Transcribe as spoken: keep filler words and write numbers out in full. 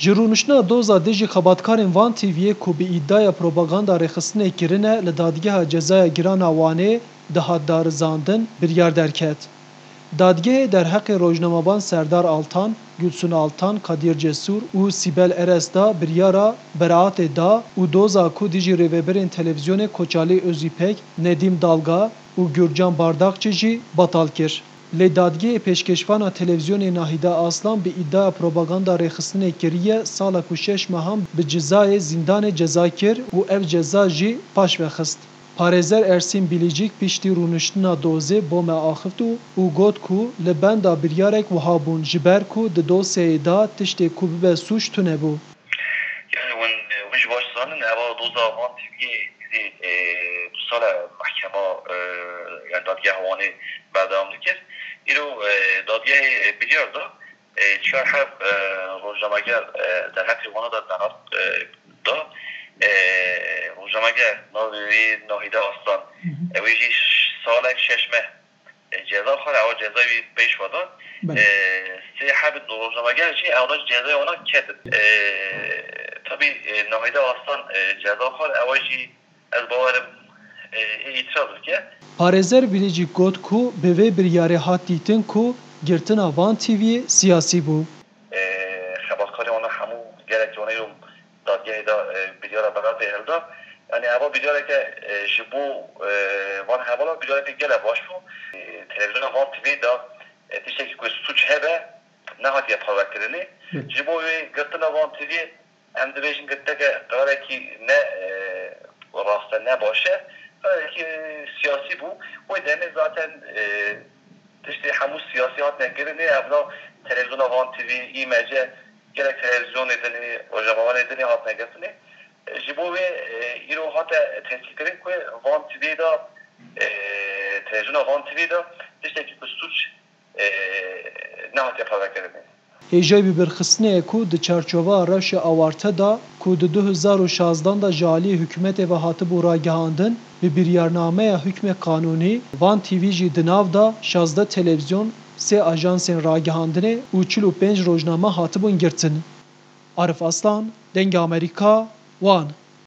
Ji rûniştina doza dijî xebatkarên Van T V'yê ku bi îdiaya propaganda rêxistinê kirine li Dadgeha Cezaya Giran a Wanê dihat darizandin, biryar derket. Dadgehê derheqê rojnamevan Serdar Altan, Gulsün Altan, Kadir Cesur û Sibel Eres da biryara beraatê da û doza ku dijî rêvebirên televîzyonê Koçalî Özîpek, Nedîm Dalga û Gurcan Bardakçî jî betal kir. Lê dadgehê pêşkêşvana televîzyonê Nahîde Aslan bi îdiaya propaganda rêxistinê kiriye sala ku şeş mehan bi cizayê zîndanê ceza kir û ev ceza jî paş ve xist. Parêzer Ersîn Bilîcîk piştî rûniştina dozê bo me axift û, û got ku li benda biryarek wiha bûn, ji ber ku di dosyayê de tiştê ku bibe sûc tune bû. Yani hûn, hûn jî baş zanin, eva doza Van T V'yê dî, e, du sal e mehkema, e, yani dadgeha Wanê berdewam dikir. Îro, e, dadgehê, e, biryar da, e, çar heb, e, rojnameger, e, derheqê wana da beraat, e, da. E, rojnameger, navê wî Nahîde Aslan. Hı hı. Ew ê jî ş-, salek şeş meh, e, ceza xwar, ewa ceza wî pêş ve da. Belê. E, sê heb rojnameger jî ew da cezayê wana ketin. E, tabî, e, Nahîde Aslan, e, ceza xwar, ewa jî ez bawerim, e, ê îtiraz bike. Parêzer Bilîcîk got ku bi vê biryarê hat dîtin ku girtina Van T V'yê siyasî bû. E, xebatkarê wana hemû gelek wana yo dadgehê de, e, biryara beraatê hilda. Yani eva biryareke, e, ji bo, e, van hevala biryareke gelek baş bû. E, televîzyona Van T V'yê de, e, tiştekî ku sûc hebe nehatiye parvekirinê. Hı. Ji bo wê girtina Van T V'yê em dibêjin girteke qerarekî ne, e, rast e, ne baş e. Qerarekî, e, siyasî bû. Wê demê zaten, e, tiştê hemû siyasî hatine kirinê. Evna televîzyona Van T V, î M C, gelek televîzyonê din, rojnamevanê din hatine girtinê. E, ji bo wê, e, îro hate tescîlkirin ku Van T V de, e, televîzyona Van T V de tiştekî ku sûc, e, nehatiye parvekirinê. Hêjayî bibîrxistinê ye ku di çarçoveya rewşa awarte de ku di du hezar û şazdan de ji aliyê hikûmetê ve hatibû ragihandin, bi biryarnameya hikmê qanûnî, Van T V jî di nav de şazdeh televîzyon, sê ajansên ragihandinê û çil û pênc rojname hatibûn girtin. Arif Aslan, Dengê Amerîka, Wan.